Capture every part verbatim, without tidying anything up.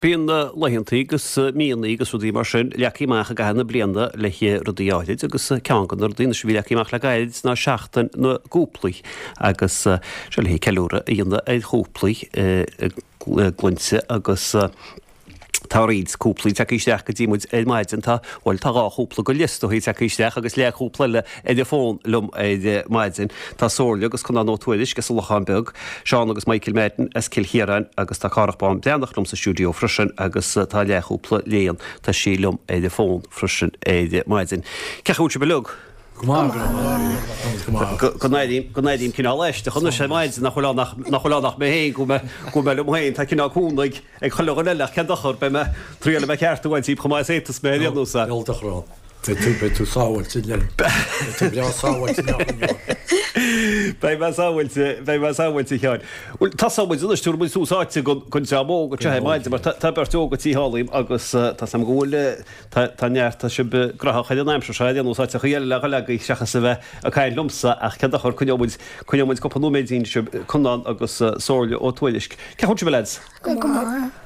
Bíonn laethantaí agus míonna agus rudaí mar sin leagtha amach i gcaitheamh na bliana le rudaí áirid agus ceann de na rudaí anois a bhí leagtha amach le gairid ná Seachtain na gCúplaí agus seo le ceiliúradh a dhéanamh ar chúplaí i gcluinte agus Tá roinnt cúplaí tagtha isteach go dtí muid ar maidin. Tá, bhuel, tá dhá chúpla go leith is dóigh tagtha isteach agus leathchúpla eile ar an bhfón liom ar maidin. Tá Somhairle agus Conán Ó Tuairisg as an Lochán Beag, Seán agus Michael Madden as Cill Chiaráin agus tá Cárthach Bán Breathnach liom sa stiúideo freisin agus tá leathchúpla Léan, tá sí liom ar an bhfón freisin ar maidin. Cén chaoi a bhfuil sibh uilig? Go maith, go maith, go maith. Go n-airím, go n-airím cineál aisteach anois ar maidin nach bhfuil ann ach, nach bhfuil ann ach mé féin, go bhfuil mé, go bhfuil mé liom féin, tá cineál cúnamh ag, ag chuile dhuine eile ach cén dochar, beidh mé, triail mé ceart a bhaint díobh chomh maith is a fhéadfas mé ar aon nós. Níl dochar ann. Beidh tú, beidh tú sábháilte linn. Beidh tú breá sábháilte linn. Beidh mé sábháilte, beidh mé sábháilte, a Sheáin. Bhuel, tosóidh muid anois, tabharfaidh muid tús áite don, don dream óg anseo ar maidin mar tá, tá beirt óg tigh liom agus tá 's agam go bhfuil, Tá, tá neart, tá sibh graitheach ar an aimsir seo ar aon nós, áiteachaí eile le dhul agaibh seachas a bheith ag caint liomsa ach cén dochar, coinneoidh muid, coinneoidh muid cúpla nóiméidín sibh, Conán agus Somhairle Ó Tuairisg. Cén chaoi a bhfuil sibh a lads? Go maith.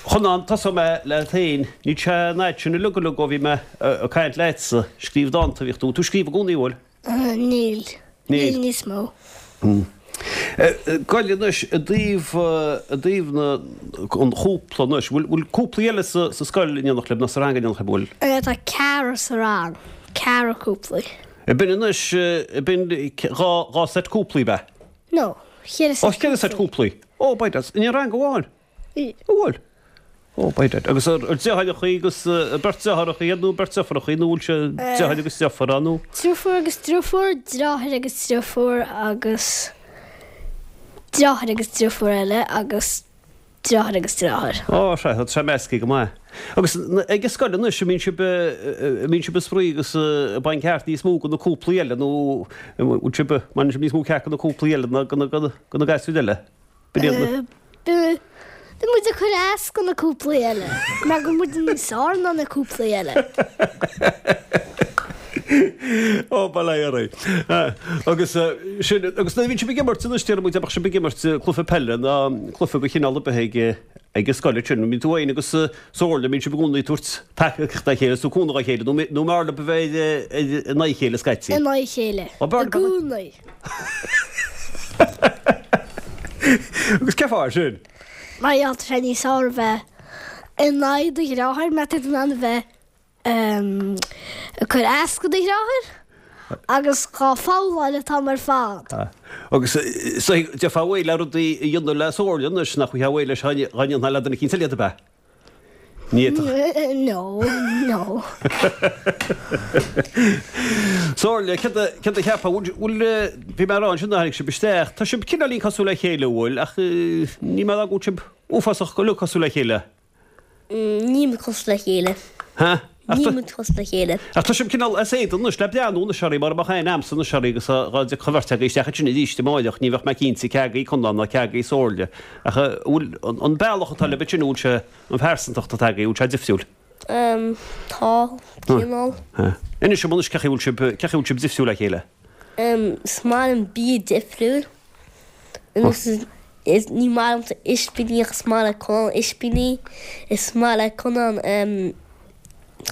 Conán, tosóidh mé leat féin. Níl sé an fhad sin uilig uilig ó bhí mé ag caint leatsa. Scríobh dánta a bhíodh tú. Tú ag scríobh i gcónaí, an bhfuil? Níl. Níl. Níl níos mó. Goil anois i dtaobh, i dtaobh na, an chúpla anois, bhfuil, bhfuil cúplaí eile sa, sa scoil in éineacht libh nó sa rang in éineacht libh, bhfuil? Tá ceathrar sa rang, ceathrar cúplaí. Ab in anois, ab in dhá, dhá seit cúplaí, ab ea? No, cheithre Ó, seit cheithre seit cúplaí. cúplaí. Ó, by dad, in aon rang amháin? An bhfuil? Ó, by dad. Agus ar deartháireacha agus beirt deartháireacha iad nó beirt deirfiúracha nó bhfuil sé deartháir agus deirfiúr ann nó? Deirfiúr agus deirfiúr, deartháir agus deirfiúr agus deartháir agus deirfiúr eile agus deartháir agus deartháir. Ó, sea, tá sé measctha go maith. Agus ag an scoil anois, an mbíonn sibh, an mbíonn sibh ag spraoi agus ag baint ceart níos mó de na cúplaí eile nó an bhfuil sibh, mbaineann sibh níos mó ceart de na cúplaí eile ná de na gasúir eile? Bíonn muid ag cur as do na cúplaí eile, mar go bhfuil muid níos fearr ná na cúplaí eile. Ó, bail ó Dhia oraibh. Agus sin, agus nuair a bhíonn sibh ag imirt anois, déarfaidh muid, dá mbeadh sibh ag imirt cluiche peile ná cluiche de chineál ar bith ag ag an scoil ansin, mbíonn tú féin agus Somhairle, mbíonn sibh i gcónaí ag tabhairt tacaíocht dá chéile, is ag cúnamh dá chéile, nó nó mb'fhearr libh a bheith in aghaidh a chéile scaití? In aghaidh a chéile. Ó, b'fhearr I gcónaí. Agus cén fáth sin? Mar gheall tá sé níos fearr a bheith in aghaidh do dheartháir mar tá tú in ann a bheith ag cur as do do dheartháir agus dhá fabhláil an t-am ar fad. Agus d'fhéadfá réidh le rudaí a dhéanamh le Somhairle anois nach bhfaighfeá réidh leis dá ndéanfá le duine eicínt eile iad ab ea? Ní fhéadfadh. No, no. Somhairle, céard a, céard a cheapfá, bhfuil, bhfuil, bhí mé a rá ansin nuair a tháinig sibh isteach, tá sibh cineáilín cosúil le chéile, an bhfuil, ach níl mé a rá go bhfuil sibh uafásach go uilig cosúil le chéile. Níl muid cosúil le chéile. Ha? Ach Níl tá, muid cosúil le chéile. ach tá sibh cineál as éadan anois le breathnú anois oraibh, mura mbeadh aithne a'msa anois oraibh agus dhá dtiocfadh an bheirt agaibh isteach ansin arís amáireach, ní bheadh mé cinnte cé agaibh Conán ná cé agaibh Somhairle. Ach an bhfuil, an, an bealach atá libh ansin, an bhfuil sé, An phearsantacht atá agaibh, bhfuil sé difriúil? Em, tá, cineál. Inis dom anois cén chaoi a bhfuil sibh, cén chaoi a bhfuil sibh difriúil le chéile? Em, is maith liom bia difriúil. Is, is, ní maith liomsa ispíní ach is maith le Conán ispíní. Is maith le Conán, em,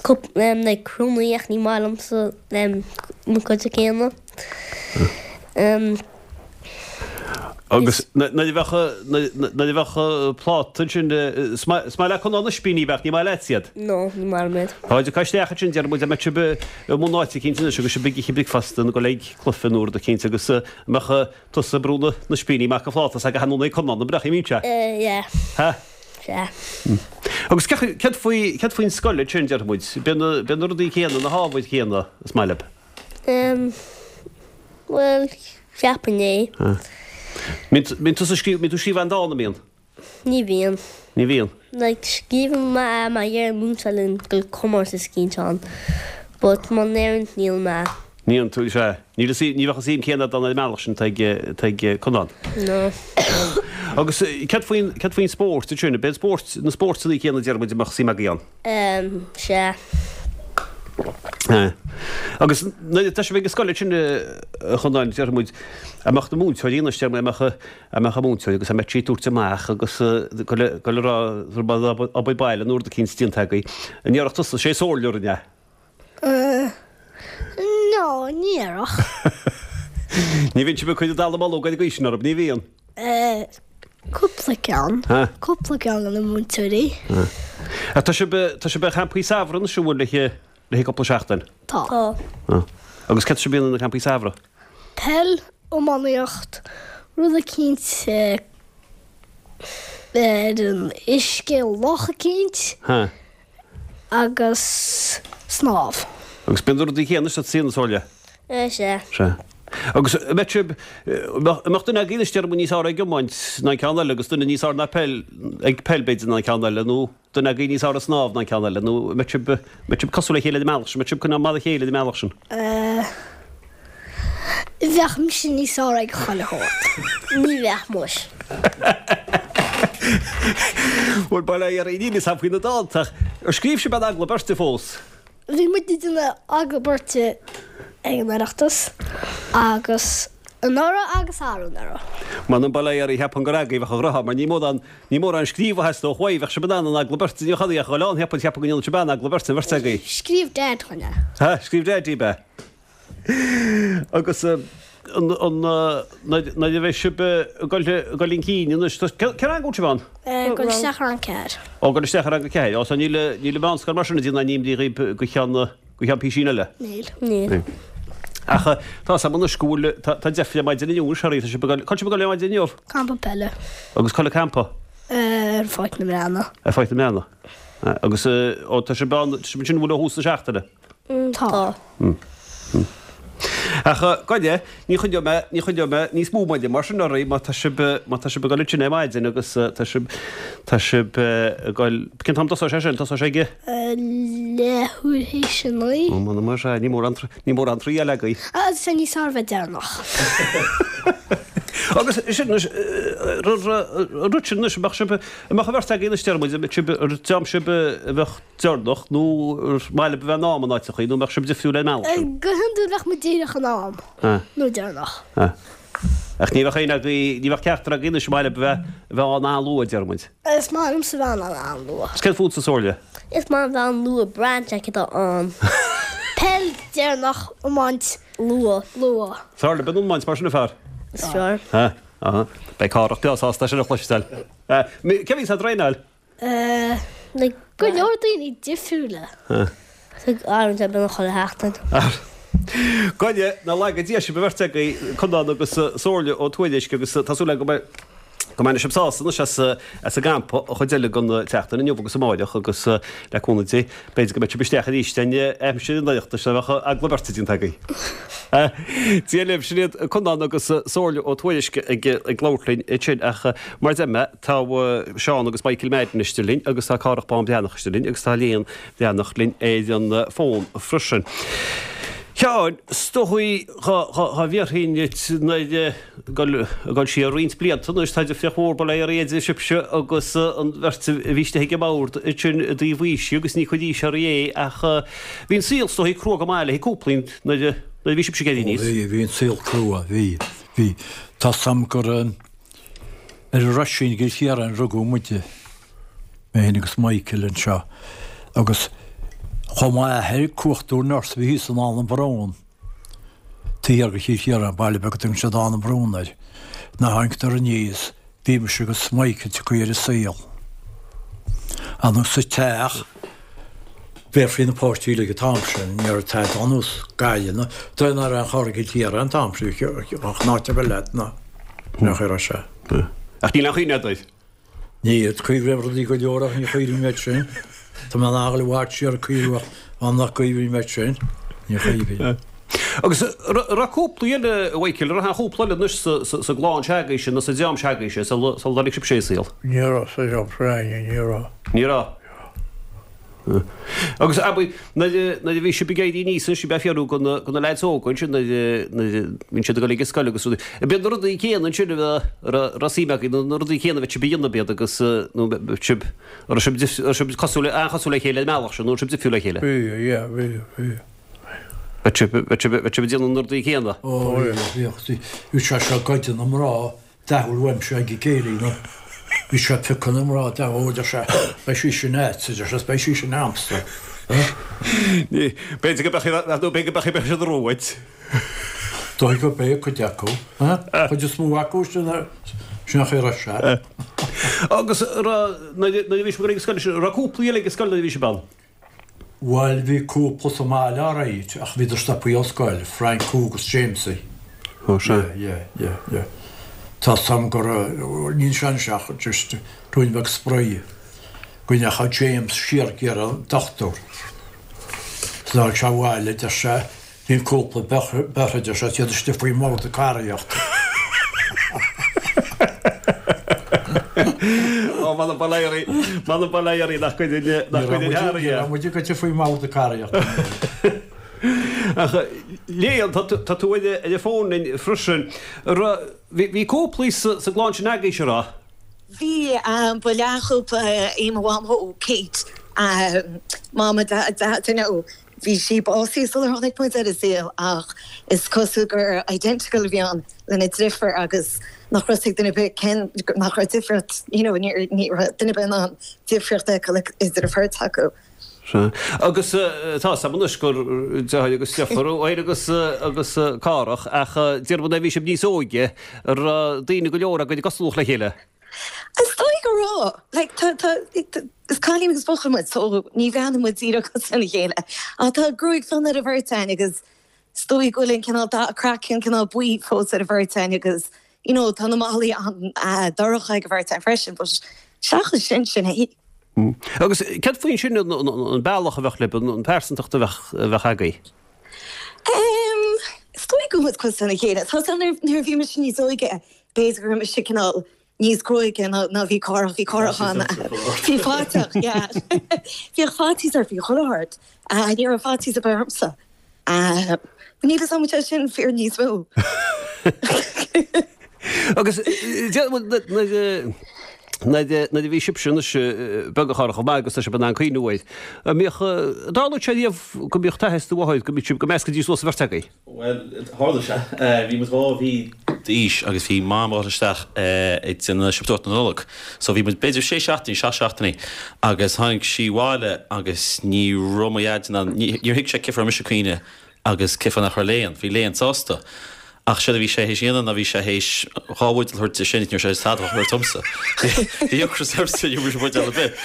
cup, em, like prúnaí ach ní maith liomsa, em, na cuid céanna. Em. Agus nuair a bheadh, nuair a bheadh pláta ansin, is maith le Conán ispíní ach ní maith leatsa iad? No, ní maith liom iad. Tá, tiocfaidh isteach ansin, déarfaidh muid, dá mbeadh sibh i mbun áit eicínt anois agus sibh ag ithe bricfeasta nó ag dul ag cluiche nó rud eicínt agus an mbeadh tusa ag brú na n-ispíní amach an phláta s'agat anonn ag Conán, an mbeadh, an mbíonn sé? Eh, yeah. Ha? Sea. Agus céard faoi, céard faoin scoil ansin, déarfaidh muid, bíonn na, bíonn na rudaí céanna, na hábhair chéanna is maith libh? Em, bhuel, cheapfainn é. Mbíonn tusa ag scríobh, mbíonn tú ag scríobh aon dán, an mbíonn? Ní bhíonn. Ní bhíonn? Like, scríobhann mé má deir an múinteoir linn go bhfuil comórtas eicínt ann, but muna ndeireann, níl mé. Níl tú, sea. Níl a, ní bheadh an suim céanna agat ann ar an mbealach sin atá ag, atá ag Conán. No. Agus céard faoin, céard faoin spórt ansin? Ab é an spórt, na spórtanna céanna déarfaidh muid a mbeadh suim agaibh ann? Em, sea. Agus nuair atá sibh ag an scoil ansin a Chonáin, déarfaidh muid, a mbeadh na múinteoirí anois, déarfaidh mé, a mbeadh a mbeadh an múinteoir agus a mbeadh sí ag tabhairt amach agus go le go le rá obair baile nó rud eicínt déanta agaibh. An ndéarfadh tusa, sé Somhairle a rinne é? No, ní dhéarfadh. Ní bhíonn sibh ag cur an dallamullóg ar an gcaoi sin orthu, ní bhíonn? Cúpla ceann. Cúpla ceann de na múinteoirí. Tá sibh tá sibh ar champaí samhraidh anois an bhfuil le le cúpla seachtain? Tá. Tá. Agus céard atá sibh a dhéanamh na campaí samhraidh? Peil, iománaíocht, rud eicínt ar an uisce, loch eicínt. Agus snámh. Agus bíonn na rudaí céanna sa tsaol, a Somhairle? Sea. Sea. Agus an mbeadh sibh, an mbeadh duine agaibh anois déarfaidh muid níos fearr ag iomáint ná an ceann eile agus duine níos fearr ná peil, ag peil b'fhéidir ná an ceann eile nó duine agaibh níos fearr ag snámh ná an ceann eile nó an mbeadh sibh, an mbeadh sibh cosúil le chéile ar an mbealach sin, an mbeadh sibh cineál mar a chéile ar an mbealach sin? Bheadh mise níos fearr ag chuile shórt. Ní bheadh muis. Bhuel, bail ó Dhia oraibh, níl fhios a'm faoi na dánta ach ar scríobh sibh aon agallamh beirte fós? Bhí muid ag déanamh agallamh beirte ag an Oireachtas agus anuraidh agus arú-anuraidh. M'anam bail ó Dhia oraibh, cheapfainn gur agaibh a bheadh an rogha mar ní mórán, ní mórán scríobh a theastódh uaibh, bheadh sibh in ann an agallamh beirte, ní bheadh ach dhul ann, cheapfainn, cheapfainn go ndéanfadh sibh an-agallamh beirte, an bheirt agaibh. Scríobh Dad dhúinn é. Ha, scríobh Dad daoibh é. Agus an nuair a bheidh sibh ag dul chun cinn anois, cén rang a bhfuil sibh ann? Ag dul isteach i rang ceathair. Ó, ag dul isteach i rang a ceathair. Ó, so níl níl an mheánscoil mar sin ag déanamh aon imní dhaoibh go ceann go ceann písín eile? Níl. Níl. Ach tá 'fhios a'm anois go bhfuil tá tá deifre ar maidin inniu anois, tá sibh ag dul, cá bhfuil sibh ag dul ar maidin inniu? Campa peile. Agus cá bhfuil an campa? Ar Pháirc na mBreathnach. Ar Pháirc na mBreathnach. Agus ó tá sibh ann, tá sibh ansin an bhfuil ó thús na seachtaine? Tá. Ach gabh i leith, ní choinneoidh mé, ní choinneoidh mé níos mó moille mar sin oraibh má tá sibh, má tá sibh ag dul ansin ar maidin agus tá sibh, tá sibh ag dul, cén t-am tosóidh sé sin? Tosóidh sé ag. Leathuair théis a naoi. Ó, m'anam más ea, ní mórán, ní mórán triail agaibh. Tá sé níos fearr bheith deireanach. Agus sin anois, an rud sin anois, an mbeadh sibh, an mbeadh an bheirt agaibh anois, deir muid, an mbeadh sibh, an dream sibh a bheadh deireanach nó ar mhaith libh a bheith in am in áiteachaí nó an mbeadh sibh difriúil ar an mbealach sin? Go hiondúil bheadh muid díreach in am nó deireanach. Ach ní bheadh aon agaibh, ní bheadh ceachtar agaibh anois ar mhaith libh a bheith, a bheith ann an-luath, deir muid. Is maith liomsa bheith ann an-luath. Is céard fútsa, Somhairle? Is maith liom bheith ann luath, braitheann sé céard atá ann. Peil deireanach, iomáint luath. Luath. Is fearr libh an iomáint mar sin, a fear? Is fearr. Beidh Cárthach breá sásta é sin a chloisteáil. Cé a bhíonns á dtraenáil? Go leor daoine difriúla. Athraíonn sé beagnach chuile sheachtain. Go n-laga Dia sibh an bheirt agaibh, Conán agus Somhairle Ó Tuairisg agus tá súil agam go mbeidh go mbainfidh sibh sásamh anois as as an gcampa an chuid eile den tseachtain inniu agus amáireach agus le cúnamh Dé b'fhéidir go mbeidh sibh isteach arís den aimsir an Oireachtais a bheadh agallamh beirte déanta agaibh. Dia libh, sin iad Conán agus Somhairle Ó Tuairisg ag ag labhairt linn ansin ach mar a deir mé tá Seán agus Michael Madden istigh linn agus tá Cárthach Bán Breathnach istigh linn agus tá Léan Breathnach linn ar an bhfón freisin. Sheáin, is dóigh dhá bhéarfainn duit nuair ag dul siar roinnt blianta anois, tá difríocht mhór bail ó Dhia oraibh idir sibhse agus an bheirt a bhí istigh ag an mbord ansin i dtaobh aoise agus ní cuid aois oraibh é ach bhí an saol is dóigh crua go maith le cúpla nuair a bhí sibhse ag éirí aníos. Ó bhí, bhí an saol crua, bhí, bhí. Tá 's a'm gur ar an Roisín i gCill Chiaráin a rugadh muide, mé féin agus Michael anseo, agus chuaigh m'athair ag cuartú nurse a bhí thíos in Áth na Brón, taobh thiar de Chill Chiaráin, baile beag a dtugann siad Áth na Brón air. Nuair a tháingeadar aníos, bhí mise agus Michael tagtha ar an saol. Ann sa teach, bhéarfaí na páistí uilig an t-am sin, ní raibh tada ar nós Gaillimh ná dóigh ná raibh aon charr i gCill Chiaráin an t-am sin, ach an áit ar bith leat ná nach raibh sé. Ach níl aon chuimhne agat air? Níl, cuimhním ar rudaí go leor ach ní chuimhním air sin. Tá mé in ann a ghoil i bhfad siar ag cuimhniú ach an nach gcuimhním air sin, ní chuimhním. Agus an raibh cúpla eile, a Mhichael, an raibh aon chúpla eile anois sa gclann se'agaibhse nó sa dream se'agaibhse sula dtáinig sibhse sa saol? Ní raibh sa dream s'againne, ní raibh. Ní raibh? Agus abair, nuair a bhí sibh ag éirí aníos anois, bheith ag fiafraí de na, de na leaids óga ansin nuair a, nuair a bhíonn siad ag dul ag an scoil agus rudaí, ab iad na rudaí céanna ansin a bheadh, a raibh, a raibh suim agaibh, nó na rudaí céanna a bheadh sibh a dhéanamh ab iad agus, nó bheadh sibh, an raibh sibh, an raibh sibh cosúil, an-chosúil le chéile ar an mbealach sin, nó an raibh sibh difriúil le chéile? Bhí, yeah, bhí, bhí. Bheadh sibh bheadh sibh bheadh sibh ag déanamh na rudaí céanna. Ó bhíodh bhí sé seo ag goid na mná dathúil uaimse ag an gcéilí nó bhí sé ag piocadh na mná dathúil deir sé beidh sí sin a'dsa deir sé beidh sí sin a'msa. B'fhéidir go mbeadh nó b'fhéidir go mbeadh siad romhat. Dóigh go b'é cuid acu, cuid is mó acu sin sin nach raibh sé. Agus nuair a bhí sibh ag scoil raibh cúpla eile ag scoil nuair a bhí sibh ann. Bhuel bhí cúpla sa mbaile alright ach bhíodar stoptha ón scoil, Frank agus Jamesie. Ó sea. Yeah, yeah, yeah. Tá sam gur níl sé ach just ruainne beag spraoi. Go ndeachaigh James siar ag iarraidh an dochtúir. D'fhág sé abhaile deir sé bhí an cúpla beirthe deir sé iad istigh faoin mbord ag caraíocht. Ó m'anam bail ó Dhia oraibh m'anam bail ó Dhia oraibh nach gcuireann nach gcuireann thar Ní raibh muid ag goitse faoin mbord ag caraíocht. Ach Léan tá tá tú ar ar an bhfón linn freisin. Bhí bhí cúplaí sa sa gclann sin agaibhse an raibh? Bhí ba leathchúpla í mo mhamó Kate Mam Daid you bhí sí básaithe sular tháinig muid ar an saol ach is cosúil gur identical a bhí ann lena deirfiúr agus nach raibh ag duine ar bith cén nach raibh difríocht you know ní raibh duine ar bith in ann difríocht a fheiceáil idir an bheirt acu. Sea. Agus tá 's a'm anois gur deartháir agus deirfiúr thú agus agus Cárthach ach déarfaidh nuair a bhí sibh níos óige an raibh daoine go leor agaibh i gcosúlacht le chéile. Is dóigh go raibh. Like tá tá is cailín agus buachaill muid so ní bhreathnaíonn muid díreach cosúil lena chéile. Ach tá gruaig fionn ar an bheirt againn agus is dóigh go bhfuil an cineál dath craiceann cineál buí fós ar an bheirt againn agus you know tá na malaí an-dorcha ag an bheirt againn freisin but seachas sin sin é. Agus céard faoin sin an bealach a bheadh libh, an pearsantacht a bheadh a bheadh agaibh? Um, is dóigh go bhfuil muid cosúil lena chéile. Tá nuair a bhí mise níos óige b'fhéidir go raibh mise cineál níos gruaige ná ná bhí Cárthach bhí Cárthach an bhí faiteach yeah. Bhíodh faitíos air faoi chuile shórt. Ní raibh faitíos ar bith ormsa. Níl a fhios agam an sé sin fíor níos mó. Agus nuair a bhí sibhse anois beag a Chárthaigh chomh maith agus tá sibh in ann cuimhniú air, an mbíodh, an dtarlódh sé riamh go mbíodh t'athair is do mháthair, go mbíodh sibh, go meascaidís suas an bheirt agaibh? Bhuel, tharla sé. Bhí muid dhá mhí d'aois agus bhí Mam ag dul isteach ag déanamh siopadóireacht na Nollag. So bhí muid b'fhéidir sé seachtainí, seacht seachtainí agus tháinig sí abhaile agus ní raibh mo dhaid in ann, níor thuig sé cén fáth a raibh mise ag caoineadh agus cén fáth nach raibh Léan, bhí Léan sásta. Ach séard a bhí sé théis a dhéanamh ná bhí sé théis dhá bhuidéal a thabhairt di sin, ní raibh sé théis tada a thabhairt domsa. Bhí ocras ormsa, ní raibh mise buidéal ar bith.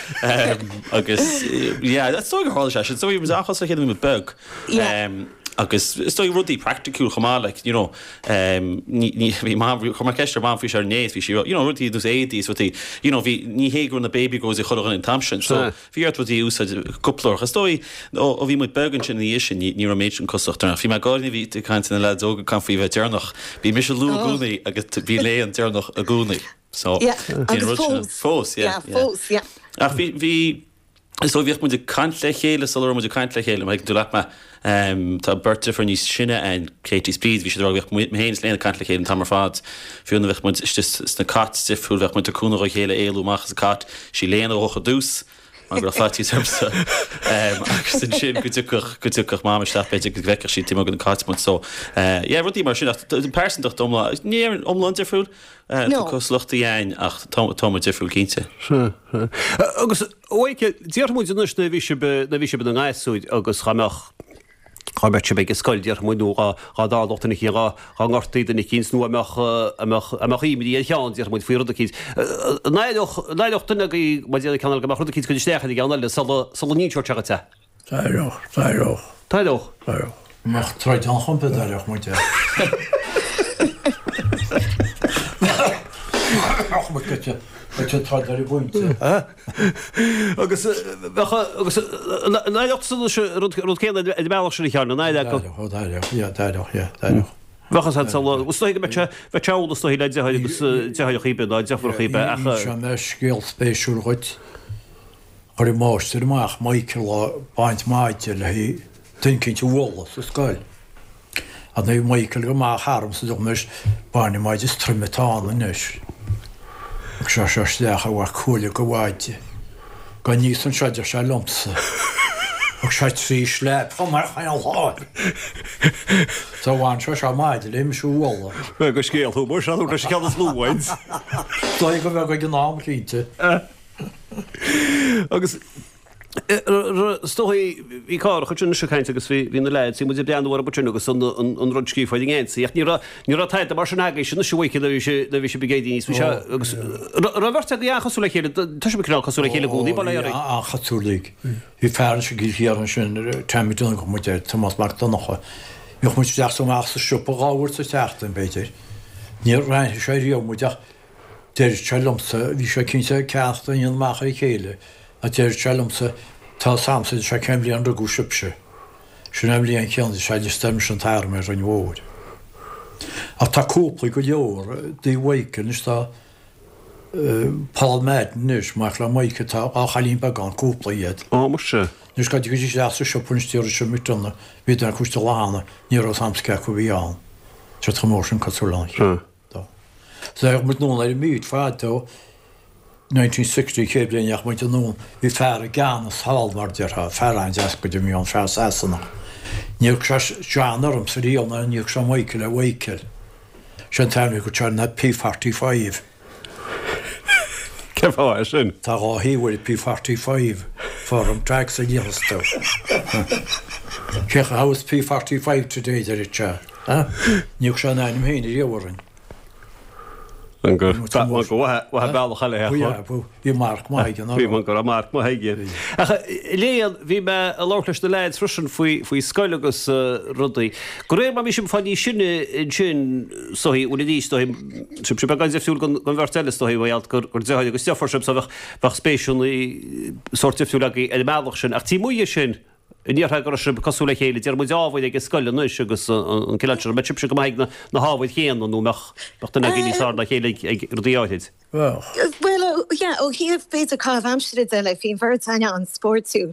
Agus yeah, is dóigh gur tharla sé sin. Is dóigh bhí muid an-chosúil le chéile nuair a bhí muid beag. Agus is dóigh rudaí praiticiúil chomh maith, like, you know, ní, ní, bhí Mam, chuir mé ceist ar Mham faoi seo inné is bhí sí, you know, rudaí ar nós éadaí is rudaí, you know, bhí, ní hé go raibh na baby grows ag chuile dhuine an t-am sin. So, Bhí ort rudaí a úsáid cúpla uair. Is dóigh, ó bhí muid beag ansin ina dhiaidh sin, ní raibh an méid sin cosúlacht orainn. Ach bhí mé ag gáire nuair a bhí tú ag caint ar na leaids óga ag caint faoi bheith deireanach. Bhí mise luath i gcónaí agus bhí Léan deireanach i gcónaí. So, Yeah, bhí an agus rud sin. fós. Fós, yeah, Yeah, yeah. fós, yeah. Ach bhí, bhí, is dóigh bhíodh muid ag caint le chéile sula raibh muid ag caint le chéile, má thuigeann tú leat mé. Tá beirt deirfiúr níos sine againn, Katie is Bríd, bhí siad ag rá go bhíodh mé féin is Léan ag caint le chéile an t-am ar fad. Fiú nuair a bheadh muid istigh sna cots difriúil, bheadh muid ag cúnamh dá chéile éalú amach as an cot. Sí Léan a ghabhfadh ar dtús, mar go raibh faitíos ormsa. Agus ansin go dtiocfadh, go dtiocfadh Mam isteach b'fhéidir go bhfeicfeadh sí taobh amuigh de na cots muid. So, yeah, rudaí mar sin. Ach pearsantacht iomlán, ní déarfainn iomlán difriúil, tá cosúlachtaí againn ach tá, tá muid difriúil cinnte. Sea, sea. Agus, a Mhichael, déarfaidh muid anois nuair a bhí sibh, nuair a bhí sibh ina ngasúir agus dhá mbeadh, dhá mbeadh sibh ag an scoil, déarfaidh muid, nó dhá, dhá dtarlódh duine eicínt, dhá, dhá ngortaí duine eicínt, nó a mbeadh, a mbeadh, a mbeadh imní ar cheann, déarfaidh muid, faoi rud eicínt. An éireodh, an éireodh duine agaibh, má déarfaidh ceann eile go mbeadh rud eicínt ag cur isteach ar an gceann eile sula, sula n-inseodh sé dhuit é? D'éireodh, d'éireodh. D'éireodh? D'éireodh. Mbeadh troid ann chomh maith, d'éireodh muid é. Bheadh muid goite, goite troid ar an bpointe. Agus bheadh, agus an éireodh tusa anois rud, rud céanna ar an mbealach sin a Sheáin, an éireodh? D'éireodh, d'éireodh, yeah, d'éireodh, yeah, d'éireodh. Bheadh a fhios agat sula, is dóigh go mbeadh sé, bheadh sé amhlaidh is dóigh le deartháir agus deartháireacha ar bith, ná deirfiúracha ar bith ach. Inseoidh mé scéal spéisiúil dhuit. Chuir an máistir amach Michael lá ag baint maide le duine eicínt a bhualadh sa scoil. Ar ndóigh Michael go maith tharamsa dúirt anois bain an maide is troime atá ann anois. Thug sé seo isteach a mhac cuaille go mhaide. Gabh aníos anseo a deir sé liomsa. Thug sé trí slap chomh maith chaon lá. So bhain sé seo maide le mise a bhualadh. Bheadh go scéal thú mar seo nó leis an cheann is lú uainn. Dóigh go bheadh ag an am cinnte. Agus is dóigh bhí Cárthach ansin anois ag caint agus bhí bhí na leaids, bhí muid ag breathnú orthu ansin agus an an an rud scríofa ar an ngeansaí ach ní raibh ní raibh tada mar sin agaibhse anois a Mhichael nuair a bhí sé nuair a bhí sibh ag éirí aníos bhí sé agus raibh beirt agaibh an-chosúil le chéile tá sibh cineál cosúil le chéile i gcónaí bail ó Dhia oraibh. An-chosúil like. Bhí fear ansin i gCill Chiaráin ansin Tommy Donncha muid air Tomás Mac Donncha. Bhíodh muid isteach is amach sa siopa dhá uair sa tseachtain b'fhéidir. Níor aithnigh sé riamh muid ach deireadh sé liomsa, bhí sé cinnte ag ceannacht a dhéanamh amach ar a chéile, ach deireadh sé liomsa, tá 'fhios a'msa, deir sé, cén bhliain a rugadh sibhse. Sin an bhliain chéanna, deir sé, a d'fhiostar mise an t-arm ar Rinn Mhóir. Ach tá cúpla go leor de Mhichael anois, tá Paul Madden anois, mac le Michael, tá dhá chailín beag ann, cúpla iad. Ó, muise. Anois dá dtiocfaidís isteach sa siopa anois déarfadh siad McDonagh, bhí duine acu istigh lá cheana, ní raibh 'fhios a'msa cé acu a bhí ann. Tá siad chomh mór sin cosúil lena chéile. Bheadh muid anonn ar an mbeach fadó, nineteen sixty, chéad bhliain a dheachaigh muid anonn, bhí fear i gceannas thall mar déarfá, fear an-deas go deo a bhí ann, fear Sasanach. Níor thug sé John ormsa riamh ná níor thug sé Michael ar Mhichael. Sé an t-ainm a thug sé air ná P forty five. Cén fáth é sin? Tá dhá thaobh ar P forty five, form tax a léifeas tú. Cén chaoi, how is P forty five today, deir sé. Ní thug sé an ainm féin riamh orainn. An go mhaith bealach eile é. Bhí marc maith aige. Bhí go raibh marc maith aige. Ach Léan, bhí mé ag labhairt leis na leaids freisin faoi faoi scoil agus rudaí. De réir mar bhí sibh ag fáil níos sine ansin is dóigh, bhuel arís is dóigh, sibh beagán difriúil den bheirt eile is dóigh, mar gheall gur gur deartháir agus deirfiúr sibh so bheadh bheadh spéiseanna sórt difriúil agaibh ar an mbealach sin. Ach taobh amuigh de sin, An ndéarfá go raibh sibh cosúil le chéile, déarfaidh muid ábhair ag an scoil anois agus an cineál sin, an mbeadh sibhse go maith ag na hábhair chéanna nó an mbeadh duine agaibh níos fearr ná a chéile ag rudaí áirid? Bhuel, yeah, ó thaobh b'fhéidir caitheamh aimsire de, like, bhí an bheirt againne an-spórtúil.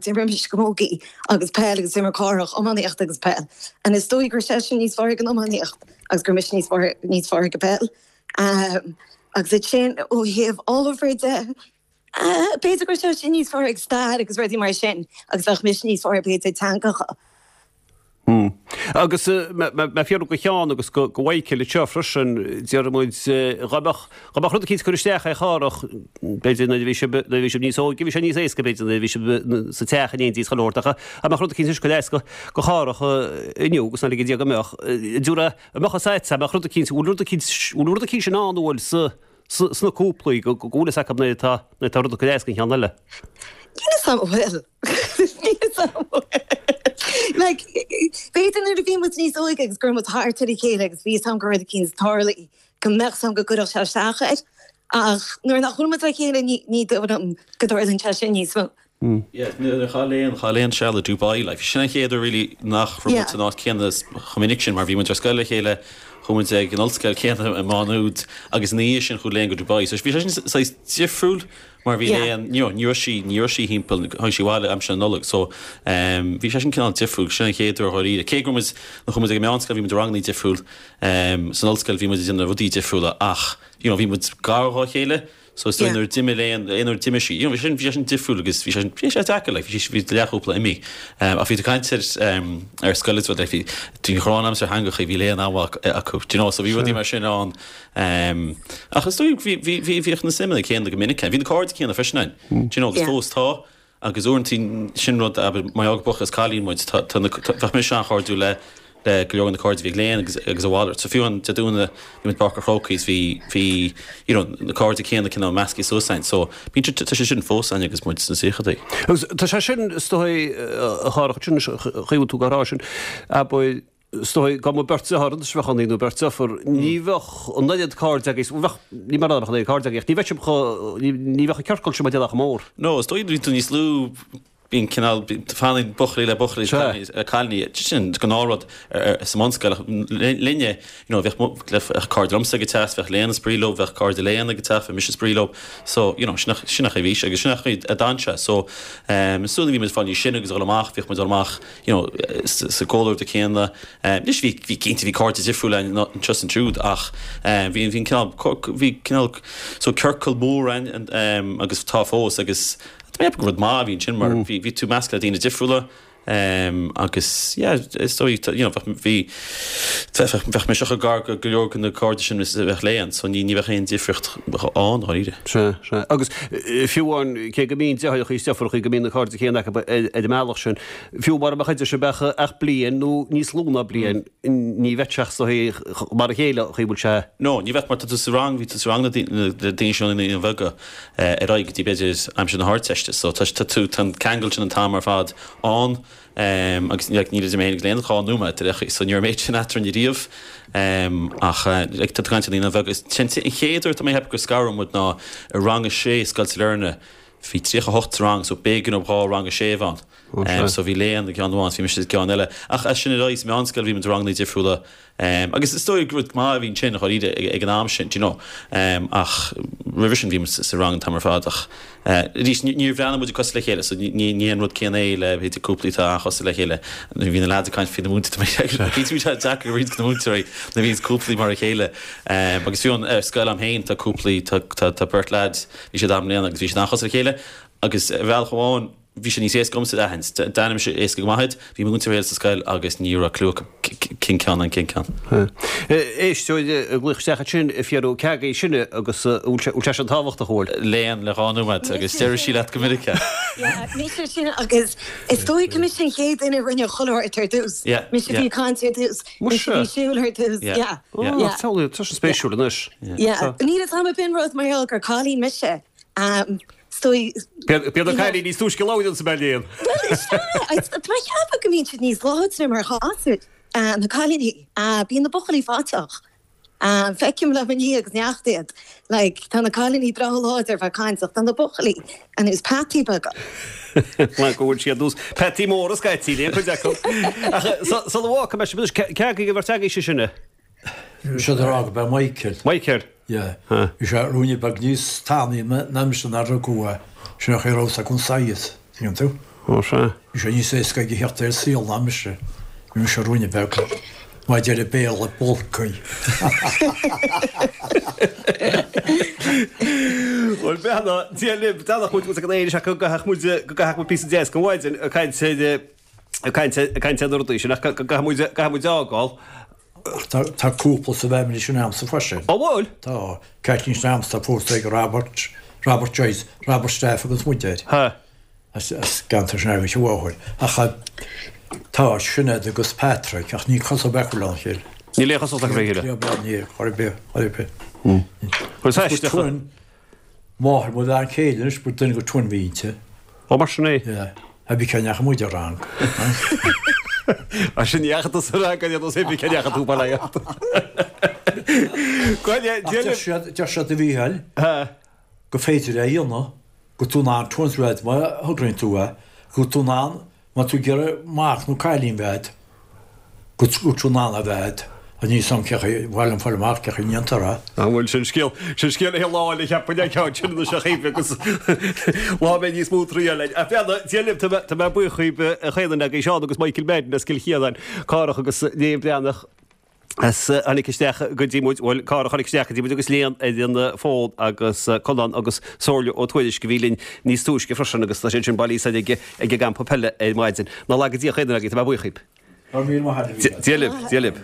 D'imir mise camógaí agus peil agus d'imir Cárthach iománaíocht agus peil. And is dóigh go raibh seisean níos fearr ag an iománaíocht agus go raibh mise níos fearr níos fearr ag an peil. Agus ansin ó thaobh ábhair de, B'fhéidir go raibh seisean níos fearr ag stair agus rudaí mar sin agus bheadh mise níos fearr b'fhéidir ag teangacha. Agus mé ag fiafraí de Sheán agus de Mhichael anseo freisin, déarfaidh muid, dhá mbeadh, dhá mbeadh rud eicínt ag cur isteach ar Chárthach, b'fhéidir nuair a bhí sibh, nuair a bhí sibh níos óige, bhí sé níos éasca b'fhéidir nuair a bhí sibh sa teach in éindí is chuile shórt ach dhá mbeadh rud eicínt ag cur as do Chárthach inniu agus ná lige Dia go mbeadh, dúradh, an mbeadh a fhios agat, an mbeadh rud eicínt, bhfuil rud eicínt, bhfuil rud eicínt in ann a bhfuil sa, sna cúplaí go bhfuil fhios acu nuair atá nuair atá rud ag cur as don cheann eile. Níl fhios a'm an bhfuil. Níl fhios a'm an bhfuil. Like, b'fhéidir nuair a bhí muid níos óige agus go raibh muid thart ar a chéile agus bhí fhios a'm go raibh rud eicínt ag tarlú go mbeadh fhios a'm go gcuirfeadh sé isteach air. Ach nuair nach bhfuil muid le chéile ní ní dóigh liom go dtarlaíonn sé sin níos mó. Yeah, nuair a chaith Léan, chaith Léan seal i Dubai, like, sin an chéad uair really nach raibh muid san áit céanna chomh minic sin mar bhí muid ar scoil le chéile, chuaigh muid ag an ollscoil céanna i Má Nuad agus ina dhiaidh sin chuaigh Léan go Dubai. So bhí sé sin saghas difriúil mar bhí Léan, you know, ní raibh sí, ní raibh sí thimpeall, tháinig sí abhaile aimsir na Nollag so um, bhí sé sin cineál difriúil, sin an chéad uair dháiríre. Cé go raibh muid, nuair chuaigh muid ag an meánscoil bhí muid i ranganna difriúil, um, san ollscoil bhí muid ag déanamh rudaí difriúla ach, you know, bhí muid gar dhá chéile. So is dóigh nuair a d'imigh Léan, aon uair a d'imigh sí, you know, bhí sé sin, bhí sé sin difriúil agus bhí sé sin, bhí sé deacair, like, bhí sí, bhí leathchúpla imithe. Um, ach bhí tú ag caint ar, um, ar scoil is rud, like, bhí, bhí an ghráin a'msa ar theangacha, bhí Léan an-mhaith acu, do you know, so bhí rudaí mar sin ann. Um, ach is dóigh bhí, bhí, bhí, bhíodh na suimeanna céanna go minic ann. Bhí na cairde céanna freisin ann, do you know, agus fós tá. Agus uaireanta sin rud, abair, mar gheall gur buachaill is cailín muid, tá, tá na, tá, bheadh mise an-chairdiúil le, le go leor de na cairde a bhí ag Léan agus, agus a mhalairt. So fiú amháin Dé Domhnaigh bhí muid i bPáirc an Chrócaigh is bhí, bhí, you know, na cairde céanna cineál measctha suas againn. So bíonn sé, tá sé sin fós againn agus muid sna tríochaidí. Agus tá sé sin, is dóigh, a Chárthaigh, sin an chaoi a bhfuil tú ag rá sin, abair, is dóigh, dá mba beirt deartháir anois a bheadh ann nó beirt deirfiúr, ní bheadh an oiread cairde agaibh, bheadh, ní mar nach mbeadh an oiread cairde agaibh, ach ní bheadh sibh chomh, ní bheadh an ciorcal sin mar a déarfá chomh mór. No, is dóigh bíonn tú níos lú, bíonn cineál, fanann buachaillí le buachaillí, cailíní le cailíní, sin gnáthrud sa mbunscoil ach linne, you know, bheadh, bheadh cairde liomsa ag an teach, bheadh Léan ag spraoi leo, bheadh cairde Léan ag an teach, bheadh mise ag spraoi leo, so, you know, sin an chaoi a bhí sé agus sin an chaoi a d'fhan sé, so, as soon a bhí muid ag fáil níos sine agus ag dul amach, bhíodh muid ag dul amach, you know, sa gcomhluadar céanna. Anois bhí, bhí cinnte, bhí cairde difriúla againn anseo is ansiúd ach bhí, bhí an cineál, bhí cineál, so ciorcal mór againn agus tá fós agus Tá mé ag ceapadh gur rud maith a bhí ansin mar bhí bhí tú measctha le daoine difriúla um, agus yeah, is dóigh you know, bheadh bhí bheadh bheadh mise chomh gar go go leor de na cairde sin is a bheadh Léan so ní ní bheadh aon difríocht ann dháiríre. Sea, sea. Agus eh, fiú amháin cé go mbíonn deartháireacha is deirfiúracha go mbíonn na cairde céanna acu ar ar an mbealach sin, fiú mura mbeadh idir sibh ach ach bliain nó níos lú ná bliain, ní bheadh sé sa mar a chéile chaoi bhfuil sé. No, ní bheadh mar tá tú sa rang, bhí tú sa rang le daoine seo na naíonáin bheaga eh, ar aghaidh go dtí b'fhéidir aimsir na hArdteiste. So tá tá tú tá an ceangal sin an t-am ar fad ann um, agus like, níl idir mé agus Léan ach dhá nóiméad ar so ní raibh méid sin eadrainn riamh um, ach uh, like, tá tú caint naíonáin bheaga is sin an chéad uair tá mé ag ceapadh gur scaradh muid ná i rang a sé Scoil Sailearna bhí tríocha hocht sa rang so b'éigean dóibh dhá rang a sé a bheith ann. Um, so bhí Léan i gceann amháin, bhí mise i gceann eile. Ach as sin ar aghaidh sa meánscoil bhí muid i ranganna difriúla. Um, agus is dóigh gur rud maith a bhí ansin dháiríre ag, ag an am sin, do you know. Um, ach roimhe sin bhí muid sa rang an t-am ar fad ach uh, arís ní- níor bhreathnaigh muid cosúil le chéile, so ní, ní, ní an rud céanna é le b'fhéidir cúplaí atá an-chosúil le chéile. Bhí na lads ag caint faoi na múinteoirí Bhí tú deacair roinnt na múinteoirí na bhíonn cúplaí mar a chéile. Um, agus fiú an uh, scoil a'm féin tá cúplaí tá, tá, tá beirt lads bhí siad am bliana agus bhí siad an-chosúil le chéile agus ar bhealach amháin bhí sé níos éasca agamsa aithint. D'aithin mise éasca go maith iad, bhí múinteoir sa scoil agus ní raibh clue acu cén ceann an cén ceann. Éisteoir ag glaoch isteach ansin Fiadh Ó Ceagaigh sinne agus bhfuil sé sin tábhachtach bhfuil. Léan le dhá nóiméad agus deir sí leat go minic. Yeah, mise sin agus is dóigh go mise an chéad duine rinne chuile ar dtús. Yeah, Mise yeah. bhí caint ar dtús. Mise Muise. bhí siúl ar dtús. Yeah. Yeah. Yeah. Tá tá sin spéisiúil anois. Yeah. Níl a fhios agam b'in rud mar gheall gur cailín mise. Um, Stoi Bíonn na cailíní níos túisce labhairt sa mBeilíon. Well, is ea, Tá mé ag ceapadh go mbíonn siad níos láidre mar ghasúir na cailíní bíonn na buachaillí faiteach. Um, Feicim le ní agus neacht iad. Like, tá na cailíní breá láidir bheith cainteach tá na buachaillí ar nós peataí beaga. Mar go bhfuil siad nós peataí móra scaití le chuid acu. Ach sa bhá me ceagaigh go bhar sé sinne. Sé rá go be Michael. Michael. Yeah. Bhí sé ruainne beag níos tanaí ná mise nuair a rugadh é sin nach raibh sa gon saighead, tuigeann tú? Ó sé. Bhí sé níos éasca aige theacht ar saol ná mise. Bhí mise ruainne beag. Maidir le béal le bolcaí. Bhuel beanna Dia libh dana chuid go éis go gcaithfidh muid go gcaithfidh muid píosa deas go mhaidin ag caint ag caint ag caint ar na rudaí sin ach go gcaithfidh muid caithfidh muid fhágáil. Tá tá cúpla sa bhfamily sin a'msa freisin. Ó bhfuil? Tá Caitlín Sneamsa pósta ag Robert Robert Joyce, Robert Staff agus muid air. Ha. As as ceantar sin agus bháthair. Ach tá Sinéad agus Patrick ach ní cosúil bheith le chéile. Níl aon chosúlacht acu le chéile. Ní chor ar bith, chor ar bith. Chuir Is twin máthair mo bhean chéile anois ba duine de twin bhínte. Ó mar sin é. Yeah. A bhí ceann muid ar rang. A sin dheacha sa rang gan nó sé bhí ceann tú ba le. Deir siad a Mhícheáil go féidir é a dhéanamh go tú in ann twins a bheith má thograíonn tú é, go tú in ann má tú ag iarraidh mac nó cailín bheith go go tú in ann a bheith a ní sam ce bhil an fáil amach ce ndéantar é. An bhfuil sin scéal sin scéal é lá le cheapann ceann sin na se chéimh agus lá mé níos mó trí le. A bheanna Dia libh tá mé buíoch a chaon ag Seán agus Michael Madden as Cill Chiaráin Cárthach agus Léan Breathnach as tháinig isteach go dtí muid bhuel Cárthach tháinig isteach go dtí muid agus Léan ar an fón agus Conán agus Somhairle Ó Tuairisg a bhí linn níos túisce freisin agus tá sé sin bailí ag ag an gcampa peile ar maidin. Ná laga Dia chaon agaibh tá mé buíoch. Ar mí maith Dia libh, Dia libh.